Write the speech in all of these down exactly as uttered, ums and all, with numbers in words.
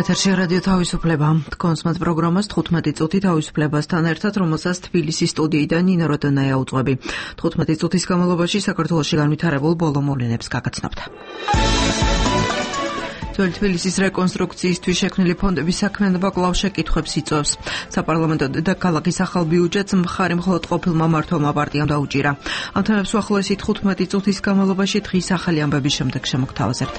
ეთერში რადიო თავისუფლება. კონსმათ პროგრამას თხუთმეტი წუთი თავისუფლებასთან ერთად, რომელსაც თბილისის სტუდიიდან ნინო როდონაია უძღვები. თხუთმეტი წუთის განმავლობაში საქართველოში განვითარებულ ბოლო მოვლენებს გაგაცნობთ. ძველი თბილისის რეკონსტრუქციისთვის შექმნილი ფონდების საქმიანობა კვლავ შეკითხვებს იწვევს. საპარლამენტო დედაქალაქის ახალ ბიუჯეტს მხარი მხოლოდ ყოფილმა მმართველმა პარტიამ დაუჭირა. ამ თემებს უახლოესი თხუთმეტი წუთის განმავლობაში დღის ახალი ამბების შემდეგ შემოგთავაზებთ.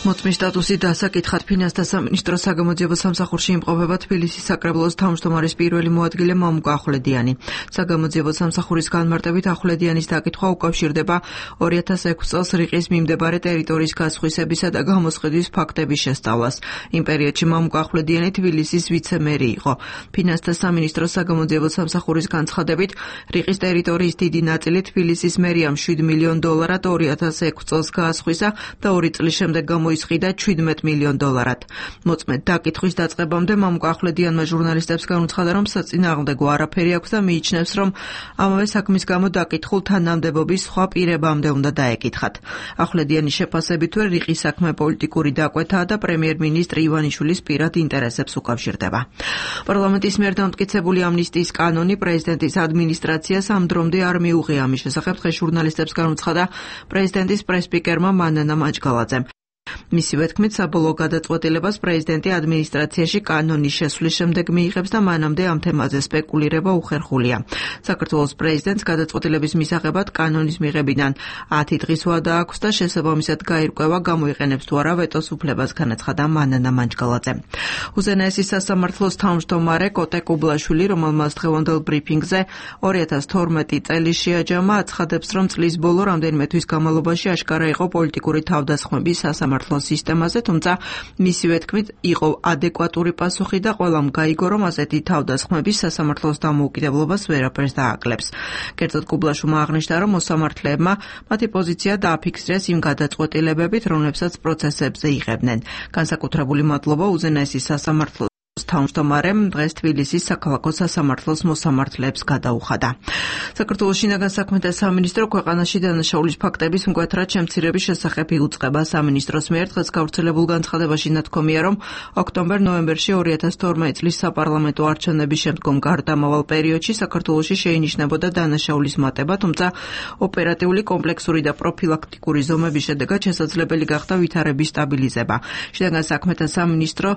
მოწმის სტატუსი დასაკითხად ფინანსთა სამინისტროს საგამოძიებო სამსახურში იმყოფება თბილისის საკრებულოს თავმჯდომარის პირველი მოადგილე მამუკა ახვლედიანი. საგამოძიებო სამსახურის განმარტებით ახვლედიანის დაკითხვა უკავშირდება ორი ათას ექვსი წელს რიყის მიმდებარე ტერიტორიის გასხვისებისა და გამოსყიდვის ფაქტების შესწავლას. იმ პერიოდში მამუკა ახვლედიანი თბილისის ვიცე-მერი იყო. ფინანსთა სამინისტროს საგამოძიებო სამსახურის განცხადებით, რიყის ტერიტორიის დიდი ნაწილი თბილისის მერიამ შვიდ მილიონ დოლარად ორი ათას ექვსი წელს გაასხვისა და ორი წლის შემდეგ გამოისყიდა ჩვიდმეტ მილიონ დოლარად. მოწმედ დაკითხვის დაწყებამდე მამუკა ახვლედიანმა ჟურნალისტებს განუცხადა, რომ საწინააღმდეგო არაფერი აქვს და მიიჩნევს, რომ ამავე საქმის გამო დაკითხულ თანამდებობის სხვა პირებამდე უნდა დაეკითხათ. ახვლედიანის შეფასებით, თუ რიყის საქმე პოლიტიკური დაკვეთაა და პრემიერ-მინისტრ ივანიშვილის პირად ინტერესებს უკავშირდება. პარლამენტის მიერ დამტკიცებული ამნისტიის კანონი პრეზიდენტის ადმინისტრაციას ამ დრომდე არ მიუღია. ამის შესახებ დღეს ჟურნალისტებს განუცხადა პრეზიდენტის პრესსპიკერმა მანანა მაჯგალაძემ. მისივე თქმით, საბოლოო გადაწყვეტილებას პრეზიდენტი ადმინისტრაციაში კანონის შესვლის შემდეგ მიიღებს და მანამდე ამ თემაზე სპეკულირება უხერხულია. საქართველოს პრეზიდენტს გადაწყვეტილების მისაღებად კანონის მიღებიდან ათი დღის ვადა აქვს და შესაბამისად გაირკვევა გამოიყენებს თუ არა ვეტოს უფლებას, განაცხადა მანანა მაჯგალაძემ. უზენაესის სასამართლოს თავმჯდომარე კოტე კუბლაშვილი, რომელმაც დღევანდელ ბრიფინგზე ორი ათას თორმეტი წელი შეაჯამა, აცხადებს, რომ წლის ბოლო რამდენიმე თვის განმავლობაში აშკარა იყო პოლიტიკური თავდასხმები სასამართლოს სისტემაზე, თუმცა მისივე თქმით იყო ადეკვატური პასუხი და ყველამ გაიგო, რომ ასეთი თავდასხმები სასამართლოს დამოუკიდებლობას ვერაფერს დააკლებს. კერძოდ კუბლაშვილმა აღნიშნა, რომ მოსამართლეებმა მათი პოზიცია დააფიქსირეს იმ გადაწყვეტილებებით, რომლებსაც პროცესებზე იღებდნენ. განსაკუთრებული მადლობა უზენაესის სასამართლოს თავმჯდომარემ დღეს თბილისის საქალაქო სასამართლოს მოსამართლეებს გადაუხადა. საქართველოს შინაგან საქმეთა სამინისტრო ქვეყანაში დანაშაულის ფაქტების მკვეთრად შემცირების შესახებ იუწყება. სამინისტროს მიერ დღეს გავრცელებულ განცხადებაში ნათქვამია, რომ ოქტომბერ-ნოემბერში ორი ათას თორმეტი წლის საპარლამენტო არჩევნების შემდგომ გარდამავალ პერიოდში საქართველოში შეინიშნებოდა დანაშაულის მატება, თუმცა ოპერატიული, კომპლექსური და პროფილაქტიკური ზომების შედეგად შესაძლებელი გახდა ვითარების სტაბილიზება. შინაგან საქმეთა სამინისტრო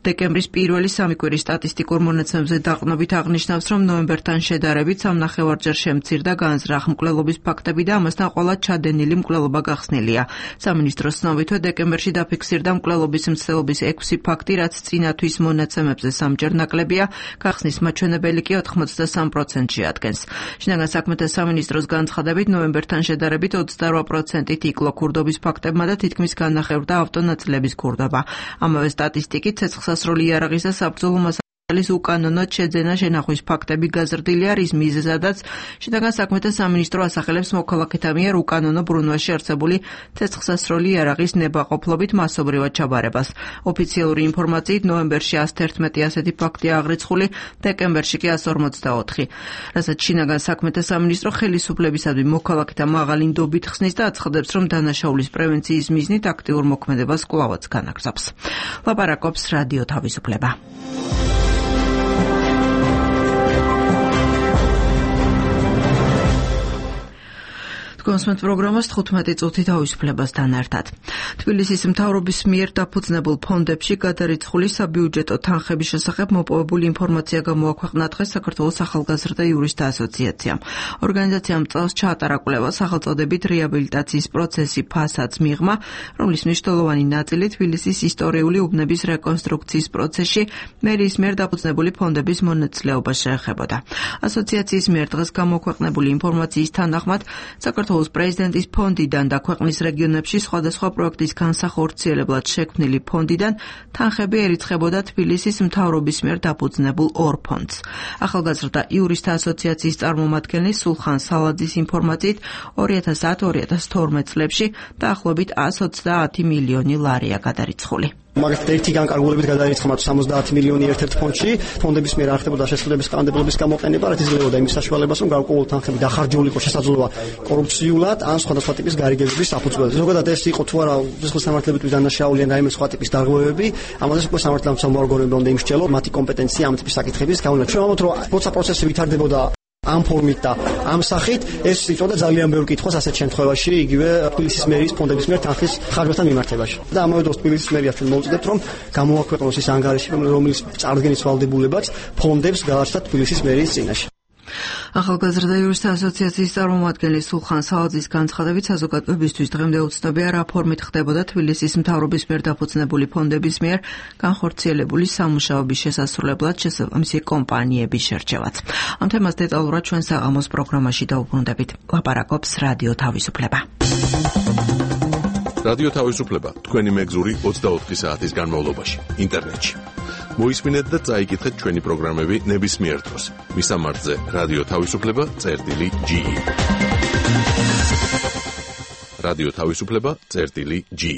დეკემბრის პირველი სამი კვირის სტატისტიკურ მონაცემებზე დაყრდნობით აღნიშნავს, რომ ნოემბერთან შედარებით სამ ნახევარჯერ შემცირდა განზრახ მკვლელობის ფაქტები და ამასთან ყველა ჩადენილი მკვლელობა გახსნილია. სამინისტროს ცნობითვე დეკემბერში დაფიქსირდა მკვლელობის მცდელობის ექვსი ფაქტი, რაც წინა თვის მონაცემებზე სამჯერ ნაკლებია, გახსნის მაჩვენებელი კი ოცდაოთხ პროცენტში ადგენს. შინაგან საქმეთა სამინისტროს განცხადებით, ნოემბერთან შედარებით ოცდაოთხ პროცენტით იკლო ქურდობის ფაქტებმა და თითქმის განახევრდა ავტონაწილების ქურდობა. ამავე სტატისტიკით ცეცხლსასროლი იარაღის და საბრძოლო მასალის უკანონოდ შეძენა შენახვის ფაქტები გაზრდილია, რის მიზეზადაც შინაგან საქმეთა სამინისტრო ასახელებს მოქალაქეთა მიერ უკანონო ბრუნვაში არსებული ცეცხლსასროლი იარაღის ნებაყოფლობით მასობრივად ჩაბარებას. ოფიციალური ინფორმაციით ნოემბერში ასი თერთმეტი ასეთი ფაქტია აღრიცხული, დეკემბერში კი ასი ორმოცდაოთხი. რასაც შინაგან საქმეთა სამინისტრო ხელისუფლებისადმი მოქალაქეთა მაღალი ნდობით ხსნის და აცხადებს, რომ დანაშაულის პრევენციის მიზნით აქტიურ მოქმედებას კვლავაც განაგრძობს. ლაპარაკობს რადიო თავისუფლება. კონსმეთ პროგრამას თხუთმეტი წუთი თავისუფლებასთან ერთად. თბილისის მთავრობის მიერ დაფუძნებულ ფონდებში გადარიცხული საბიუჯეტო თანხების შესახებ მოპოვებული ინფორმაცია გამოაქვეყნა დღეს საქართველოს ახალგაზრდა იურისტთა ასოციაციამ. ორგანიზაციამ წელს ჩაატარა კვლევა სახელწოდებით რეაბილიტაციის პროცესი ფასადს მიღმა, რომლის მნიშვნელოვანი ნაწილი თბილისის ისტორიული უბნების რეკონსტრუქციის პროცესში მერიის მიერ დაფუძნებული ფონდების მონაწილეობას შეეხებოდა. ასოციაციის მიერ დღეს გამოქვეყნებული ინფორმაციის თანახმად საქართველოს პრეზიდენტის ფონდიდან და ქვეყნის რეგიონებში სხვადასხვა პროექტის განსახორციელებლად შექმნილი ფონდიდან თანხები ერიცხებოდა თბილისის მთავრობის მიერ დაფუძნებულ ორ ფონდს. ახალგაზრდა იურისტთა ასოციაციის წარმომადგენელი სულხან სალაძის ინფორმაციით ორი ათას ათი ორი ათას თორმეტი წლებში დაახლოებით ათს ოცდაათი მილიონი ლარია გადარიცხული. მაგალითად ერთი განკარგულებით გადაირიცხა სამოცდაათი მილიონი ერთ-ერთ ფონდში, ფონდების მიერ არ ხდებოდა შესაძლებლობის კანონმდებლობის გამოყენება, რაც იძლეოდა იმის საშუალებას, რომ გარკვეული თანხები დახარჯული იყო შესაძლოა კორუფციულად ან სხვადასხვა ტიპის გარიგებების საფუძველზე. ზოგადად ეს იყო თუ არა სისხლის სამართლებრივი დანაშაული ან რაიმე სხვა ტიპის დარღვევები, ამაზე უკვე სამართლებრივი ორგანოები უნდა იმსჯელონ მათი კომპეტენცია ამ ტიპის საკითხების გავლენა. ჩვენ ვამბობთ, რომ როცა პროცესი ვითარდებოდა ამ ფორმით და ამ სახით, ეს იწოდა ძალიან ბევრ კითხვას ასეთ შემთხვევაში, იგივე თბილისის მერის ფონდების მიერ თანხის ხარჯებთან მიმართებაში. და ამავე დროს თბილისის მერიას ჩვენ მოვუწევთ, რომ გამოაქვეყნოს ის ანგარიში, რომელიც წარდგენის ვალდებულებაც ფონდებს გააჩნდა თბილისის მერის წინაშე. ახალგაზრდა იურისტთა ასოციაციის წარმომადგენელი სულხან სააძის განცხადებით, საზოგადოებისთვის დღემდე უცნობია, რა ფორმით ხდებოდა თბილისის მთავრობის მიერ დაფუძნებული ფონდების მიერ განხორციელებული სამუშაოების შესასრულებლად შესაბამისი კომპანიების შერჩევაც. ამ თემას დეტალურად ჩვენ საღამოს პროგრამაში დავუბრუნდებით. ლაპარაკობს რადიო თავისუფლება. რადიო თავისუფლება თქვენი მეგზური ოცდაოთხი საათის განმავლობაში ინტერნეტში. მოისმინეთ და წაიკითხეთ ჩვენი პროგრამები ნებისმიერ დროს. მისამართზე რადიო თავისუფლება წერტილი ჯი. რადიო თავისუფლება წერტილი ჯი.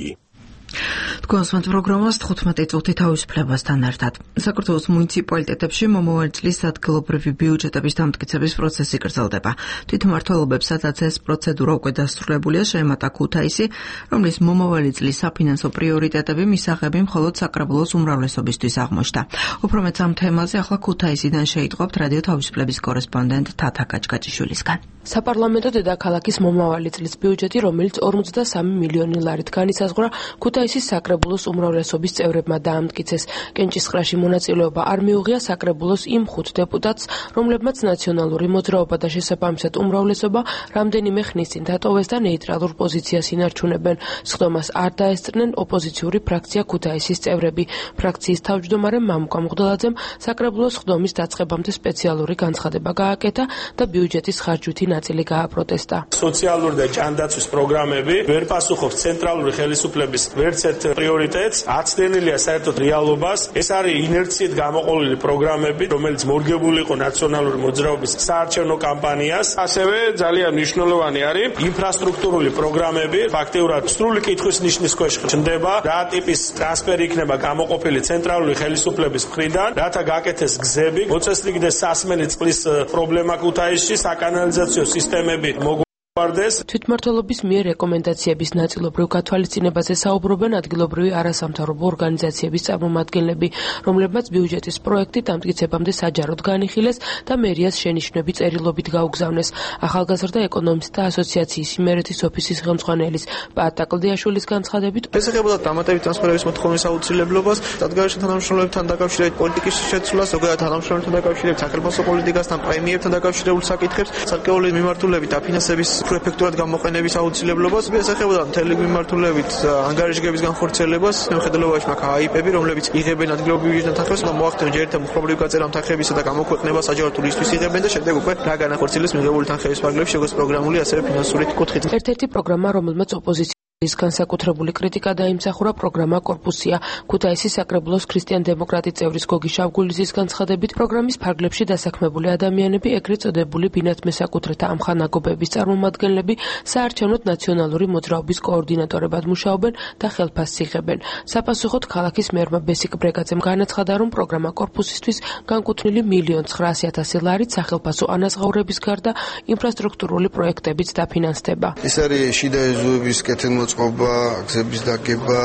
თქვენს პროგრამას თხუთმეტი წუთი თავისუფლებასთან ერთად. საქართველოს მუნიციპალიტეტებში მომავალი წლის ადგილობრივი ბიუჯეტების დამტკიცების პროცესი გრძელდება. თვითმმართველობებსაც ეს პროცედურა უკვე დასრულებულია, შეემატა ქუთაისი, რომლის მომავალი წლის საფინანსო პრიორიტეტები მისაღები მხოლოდ საკრებულოს უმრავლესობისთვის აღმოჩნდა. უფრო მეც ამ თემაზე ახლა ქუთაისიდან შეიტყვებთ რადიო თავისუფლების კორესპონდენტ თათა გაჭგაჭიშვილისგან. საპარლამენტო დედაქალაქის მომავალი წლის ბიუჯეტი, რომელიც ორმოცდასამი მილიონი ლარით განისაზღვრა, ქუთაისის საკრებულოს უმრავლესობის წევრებმა დაამტკიცეს. კენჭისყრაში მონაწილეობა არ მიუღია საკრებულოს იმ ხუთ დეპუტატს, რომლებმაც ნაციონალური მოძრაობა და შესაბამისად უმრავლესობა რამდენიმე ხნის წინ დატოვეს და ნეიტრალურ პოზიციას ინარჩუნებენ. სხდომას არ დაესწრნენ ოპოზიციური ფრაქცია ქუთაისის წევრები. ფრაქციის თავმჯდომარე მამუკა მღვდელაძემ საკრებულოს სხდომის დაწყებამდე სპეციალური განცხადება გააკეთა და ბიუჯეტის ხარჯვითი ნაწილი გააპროტესტა. სოციალური და ჯანდაცვის პროგრამები ვერ პასუხობს ცენტრალური ხელისუფლების ვერც ერთ პრიორიტეტს, აცდენილია საერთოდ რეალობას. ეს არის ინერციით გამოყოლილი პროგრამები, რომელიც მორგებული იყო ნაციონალური მოძრაობის საარჩევნო კამპანიას. ასევე ძალიან მნიშვნელოვანი არის ინფრასტრუქტურული პროგრამები. ფაქტიურად სრული კითხვის ნიშნის ქვეშ ჩნდება, რა ტიპის ტრანსფერი იქნება გამოყოფილი ცენტრალური ხელისუფლების მხრიდან, რათა გაკეთდეს გზები, მოწესრიგდეს სასმელი წყლის პრობლემა ქუთაისში, საკანალიზაციო სისტემები მოგوارდეს. თვითმმართველობის მიერ რეკომენდაციების ნაწილობრივ გათვალისწინებაზე საუბრობენ ადგილობრივი არასამთავრობო ორგანიზაციების წარმომადგენლები, რომლებმაც ბიუჯეტის პროექტი დამტკიცებამდე საჯაროდ განიხილეს და მერიას შენიშვნები წერილობით გაუგზავნეს. ახალგაზრდა ეკონომისტთა ასოციაციის იმერეთის ოფისის ხელმძღვანელის პაატა კლდიაშვილის განცხადებით, ესახებოდა დამატებით ტრანსფერების მოთხოვნის აუცილებლობას, სადგურში თანამშრომლებთან დაკავშირებით პოლიტიკის შეცვლას, ზოგადად თანამშრომლებთან დაკავშირებით სახელმწიფო პოლიტიკასთან, პრემიერთან დაკავშირებულ საკითხებს, საკეულო მიმართულებით დაფინანსების პრეფექტურად გამოყენების აუცილებლობას, ესახებოდა მთელი მიმართულებით ანგარიშგების განხორციელებას, მიუხედავად მაგ აიპები, რომლებიც იღებენ ადგილობრივ ბიუჯეტთან თანხებს, უნდა მოახდინონ ჯერ ერთ მხოლოდ გაწევა თანხებისა და გამოქვეყნება საჯარო ტურიზმის იღებენ და შემდეგ უკვე რა განახორციელებს მიღებული თანხების ფარგლებში, როგორც პროგრამული, ასევე ფინანსური კუთხით. ერთ-ერთი პროგრამა, რომელმაც ოპოზიცია ის განსაკუთრებული კრიტიკა დაიმსახურა პროგრამა კორპუსია. ქუთაისის საკრებულოს ქრისტიან-დემოკრატი წევრის გოგი შავგულიძის განცხადებით, პროგრამის ფარგლებში დასაქმებული ადამიანები, ეგრეთ წოდებული ბინათ მესაკუთრეთა ამხანაგობების წარმომადგენლები, საარჩევნოდ ნაციონალური მოძრაობის კოორდინატორებად მუშაობენ და ხელფასს იღებენ. საპასუხოდ ქალაქის მერმა ბესიკ ბრეგაძემ განაცხადა, რომ პროგრამა კორპუსისთვის განკუთვნილი მილიონ ცხრაასი ათასი ლარით სახელფასო ანაზღაურების გარდა ინფრასტრუქტურული პროექტებიც დაფინანსდება. ეს არის შიდა ეზოების კეთილმოწყობა, გზების დაგება,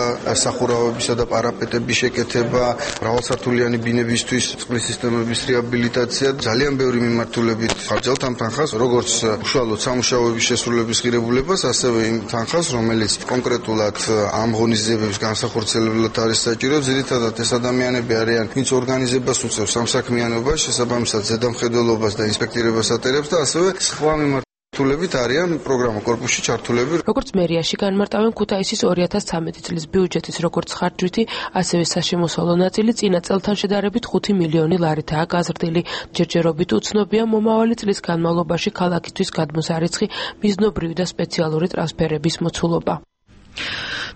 სახურავებისა და პარაპეტების შეკეთება, მრავალსართულიანი ბინებისთვის წყლის სისტემების რეაბილიტაცია, ძალიან ბევრი მიმართულებით ხარჯავთ ამ თანხას, როგორც უშუალოდ სამუშაოების შესრულების ღირებულებას, ასევე იმ თანხას, რომელიც კონკრეტულად ამ ღონისძიებების განსახორციელებლად არის საჭირო. ძირითადად ეს ადამიანები არიან, ვინც ორგანიზებას უწევს სამსაქმიანობას, შესაბამისად ზედამხედველობას და ინსპექტირებას ატარებს და ასევე სხვა მიმართულებით არიან პროგრამა კორპუსში ჩართულები. როგორც მერიაში განმარტავენ, ქუთაისის ორი ათას ცხრამეტი წლის ბიუჯეტის როგორც ხარჯვითი, ასევე საშემოსავლო ნაწილი წინა წელთან შედარებით ხუთი მილიონი ლარითაა გაზრდილი. ჯერჯერობით უცნობია მომავალი წლის განმავლობაში ქალაქისთვის გადმოსარიცხი მიზნობრივი და სპეციალური ტრანსფერების მოცულობა.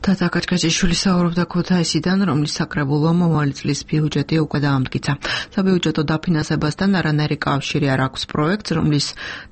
თათა კაჩკაჩიშვილი საუბრობდა ქუთაისიდან, რომლის საკრებულო მომავალი წლის ბიუჯეტი უკვე დაამტკიცა. საბიუჯეტო დაფინანსებასთან არანაირი კავშირი არ აქვს პროექტს, რომლის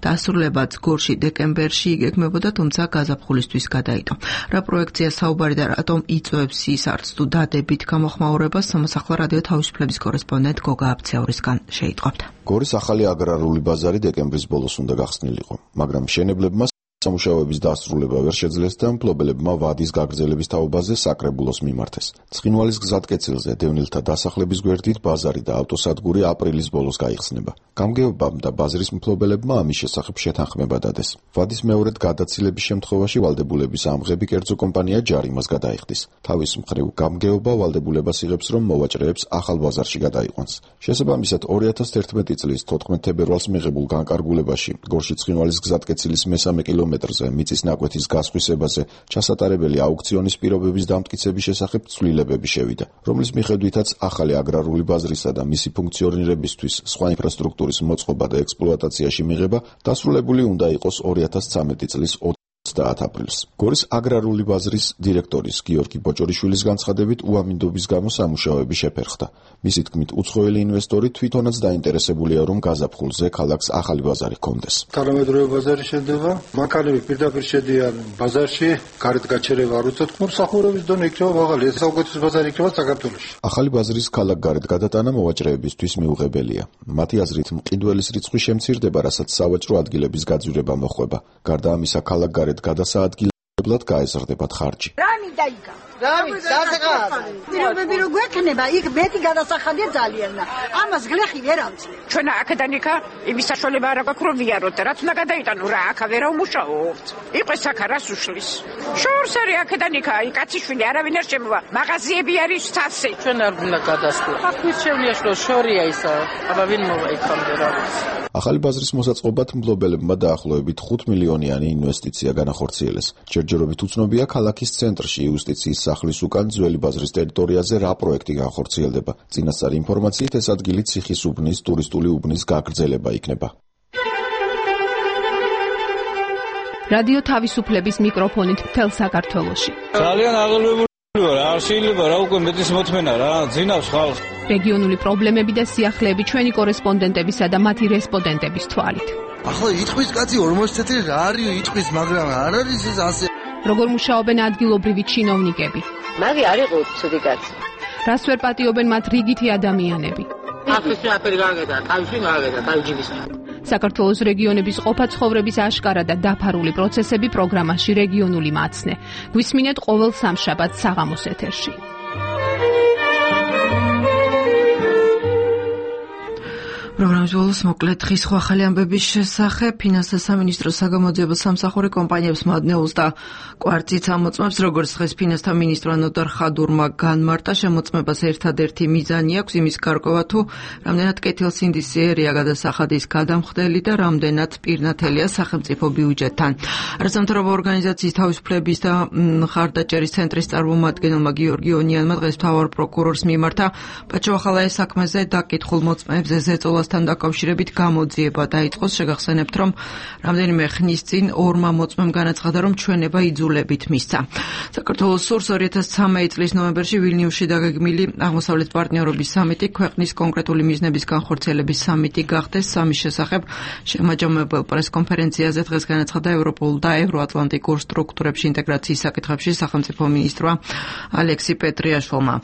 დასრულებაც გორში დეკემბერში იგეგმებოდა, თუმცა გაზაფხულისთვის გადაიდო. რა პროექტია საუბარი და რატომ იწვევს ის არც თუ დადებით გამოხმაურებას, სამოსახლო რადიო თავისუფლების კორესპონდენტ გოგა აბცეურისგან შეიტყობთ. გორის ახალი აგრარული ბაზარი დეკემბრის ბოლოს უნდა გახსნილიყო, მაგრამ მშენებლებმა სამუშაოების დასრულება ვერ შეძლეს და მფლობელებმა ვადის გაგრძელების თაობაზე საკრებულოს მიმართეს. ცხინვალის გზატკეცილზე დევნილთა დასახლების გვერდით ბაზარი და ავტოსადგური აპრილის ბოლოს გაიხსნება. გამგეობამ და ბაზრის მფლობელებმა ამის შესახებ შეთანხმება დადეს. ვადის მეორედ გადაცილების შემთხვევაში ვალდებულების ამღები კერძო კომპანია ჯარიმას გადაიხდის. თავის მხრივ გამგეობა ვალდებულებას იღებს, რომ მოვაჭრეებს ახალ ბაზარში გადაიყვანს. შესაბამისად ორი ათას ერთმეტი წლის თოთხმეტ თებერვალს მიღებულ განკარგულებაში გორში ცხინვალის გზატკეცილის მესამე კილომეტრზე მიწის ნაკვეთის გასხვისებაზე ჩასატარებელი აუქციონის პირობების დამტკიცების შესახებ ცვლილებები შევიდა, რომლის მიხედვითაც ახალი აგრარული ბაზრისა და მისი ფუნქციონირებისთვის სხვა ინფრასტრუქტურის მოწყობა და ექსპლუატაციაში მიღება დასრულებული უნდა იყოს ორი ათას ცხრამეტი წლის ოცდაათ აპრილს. გორის აგრარული ბაზრის დირექტორის გიორგი ბოჭორიშვილის განცხადებით უამინდობის გამო სამუშაოები შეფერხდა. მისი თქმით, უცხოელი ინვესტორი თვითონაც დაინტერესებულია, რომ გაზაფხულზე ქალაქს ახალი ბაზარი ჰქონდეს. თანამედროვე ბაზარი შედება, მანქანები პირდაპირ შედიან ბაზარში, გარეთ გაჩერება არ უწევთ, მომსახურების დონე იქნება მაღალი, ეს საუკეთესო ბაზარი იქნება საქართველოში. ახალი ბაზრის ქალაქ გარეთ გადატანა მოვაჭრეებისთვის მიუღებელია. მათი აზრით, მყიდველის რიცხვი შემცირდება, რასაც სავაჭრო ადგილების გაძვირება მოხვება. გარდა ამისა, ქალაქ გარეთ გადასაადგილებლად გაეზრდებათ ხარჯი. რამი დაიგა. რამი დასახადა. პირობები რო გვექნება, იქ მეტი გადასახადია ძალიან. ამას გლეხი ვერ ამწია. ჩვენ აქედან იქა იმის საშუალება არ აქვს რომ ვიაროთ და რაც უნდა გადაიტანო რა აქა ვერ აუმუშაოთ. იყოს აქა რას უშლის. შორს არის აქედან იქა, აი კაციშვილი არავინ არ შემოვა. მაღაზიები არის თასი. ჩვენ არ უნდა გადასვლა. აქ შევლია რომ შორია ისა. აბა ვინ მოიქამდე რა. ახალი ბაზრის მოსაწყობად მფლობელებმა დაახლოებით ხუთ მილიონიანი ინვესტიცია განახორციელეს. ჯერჯერობით უცნობია ქალაქის ცენტრში იუსტიციის სახლის უკან ძველი ბაზრის ტერიტორიაზე რა პროექტი განხორციელდება. წინასწარი ინფორმაციით ეს ადგილი ციხის უბნის ტურისტული უბნის გაგრძელება იქნება. რადიო თავისუფლების მიკროფონით მთელ საქართველოში. ძალიან აღელვებული ვარ, არ შეიძლება რა უკვე მეტის მოთმენა რა, ძინავს ხალხს. რეგიონული პრობლემები და სიახლეები ჩვენი კორესპონდენტებისა და მათი რესპონდენტების თვალით. ახლა იტყვის კაცი ორმოცი წელი რა არის იტყვის, მაგრამ არ არის ეს ასე. როგორ მუშაობენ ადგილობრივი ჩინოვნიკები? მაგი არ იყო ცუდი კაცი. რას ვერ პატიობენ მათ რიგითი ადამიანები? ახლა შეაფერი გაგედა, თავში გაგედა, თავჯიბის. საქართველოს რეგიონების ყოფა ცხოვრების აშკარა და დაფარული პროცესები პროგრამაში რეგიონული მაცნე. გვისმინეთ ყოველ სამშაბათს საღამოს ეთერში. პროგრამის ბოლოს მოკლედ დღის ახალი ამბების შესახებ. ფინანსთა სამინისტროს საგამოძიებო სამსახური კომპანიებს მადნეულს და კვარციც ამოწმებს, როგორც დღეს ფინანსთა მინისტრმა ნოტარ ხადურმა განმარტა, შემოწმებას ერთადერთი მიზანი აქვს იმის გარკვევა, თუ რამდენად კეთილსინდისიერია გადასახადის გადამხდელი და რამდენად პირნათელია სახელმწიფო ბიუჯეტთან. არასამთავრობო ორგანიზაციის თავისუფლების და მხარდაჭერის ცენტრის წარმომადგენელმა გიორგი ონიანმა დღეს მთავარ პროკურორს მიმართა პაჩოხალაის საქმეზე დაკითხულ მოწმეებზე ზეწოლას დაკავშირებით გამოძიება დაიწყოს. შეგახსენებთ, რომ რამდენიმე ხნის წინ ორმა მოწმემ განაცხადა, რომ ჩვენება იძულებით მისცა. საქართველოს სურს ორი ათას ცხრამეტი წლის ნოემბერში ვილნიუსში დაგეგმილი აღმოსავლეთ პარტნიორობის სამიტი ქვეყნის კონკრეტული მიზნების განხორციელების სამიტი გახდეს. სამის შესახებ შემაჯამებელ პრესკონფერენციაზე დღეს განაცხადა ევროპულ და ევროატლანტიკურ სტრუქტურებში ინტეგრაციის საკითხებში სახელმწიფო მინისტრმა ალექსი პეტრიაშვილმა.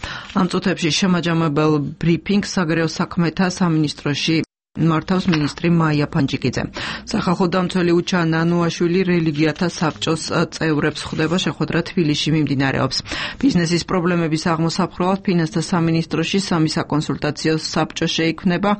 ამ წუთებში შემაჯამებელ ბრიფინგს საგარეო საქმეთა სამინისტროში მართავს მინისტრი მაია ფანჯიკიძე. სახალხო დამცველი უჩა ნანუაშვილი რელიგიათა საბჭოს წევრებს ხვდება, შეხვედრა თბილისში მიმდინარეობს. ბიზნესის პრობლემების აღმოსაფხვრელად ფინანსთა სამინისტროში სამი საკონსულტაციო საბჭო შეიქმნება.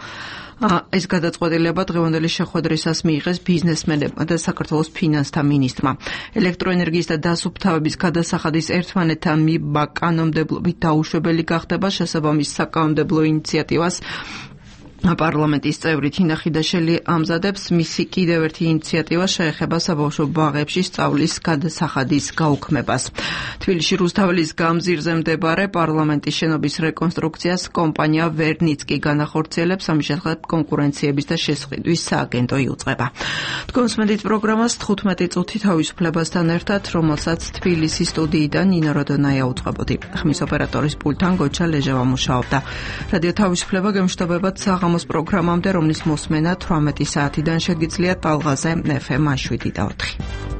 ეს გადაწყვეტილება დღევანდელი შეხვედრისას მიიღეს ბიზნესმენებმა და საქართველოს ფინანსთა მინისტრმა. ელექტროენერგიის და დასუფთავების გადასახადის ერთმანეთთან მიბა კანონმდებლობით დაუშვებელი გახდება. შესაბამის საკანონმდებლო ინიციატივას პარლამენტის წევრი თინა ხიდაშელი ამზადებს მისი კიდევ ერთი ინიციატივა შეეხება საბავშვო ბაღებში სწავლის გადასახადის გაუქმებას. თბილისში რუსთაველის გამზირზე მდებარე პარლამენტის შენობის რეკონსტრუქციას კომპანია ვერნიცკი განახორციელებს, ამის შესახებ კონკურენციების და შესყიდვის სააგენტო იუწყება. თქვენსმენდით პროგრამას თხუთმეტი წუთი თავისუფლებასთან ერთად, რომელსაც თბილისის სტუდიიდან ნინო როდონაია უწყებოდი. ხმის ოპერატორის პულტთან გოჩა ლეჟევა მუშაობდა. რადიო თავისუფლება გემშვიდობებათ საღამოს პროგრამამდე, რომლის მოსმენა თვრამეტი საათიდან შეგიძლიათ ტალღაზე ეფ ემ შვიდი და ოთხი.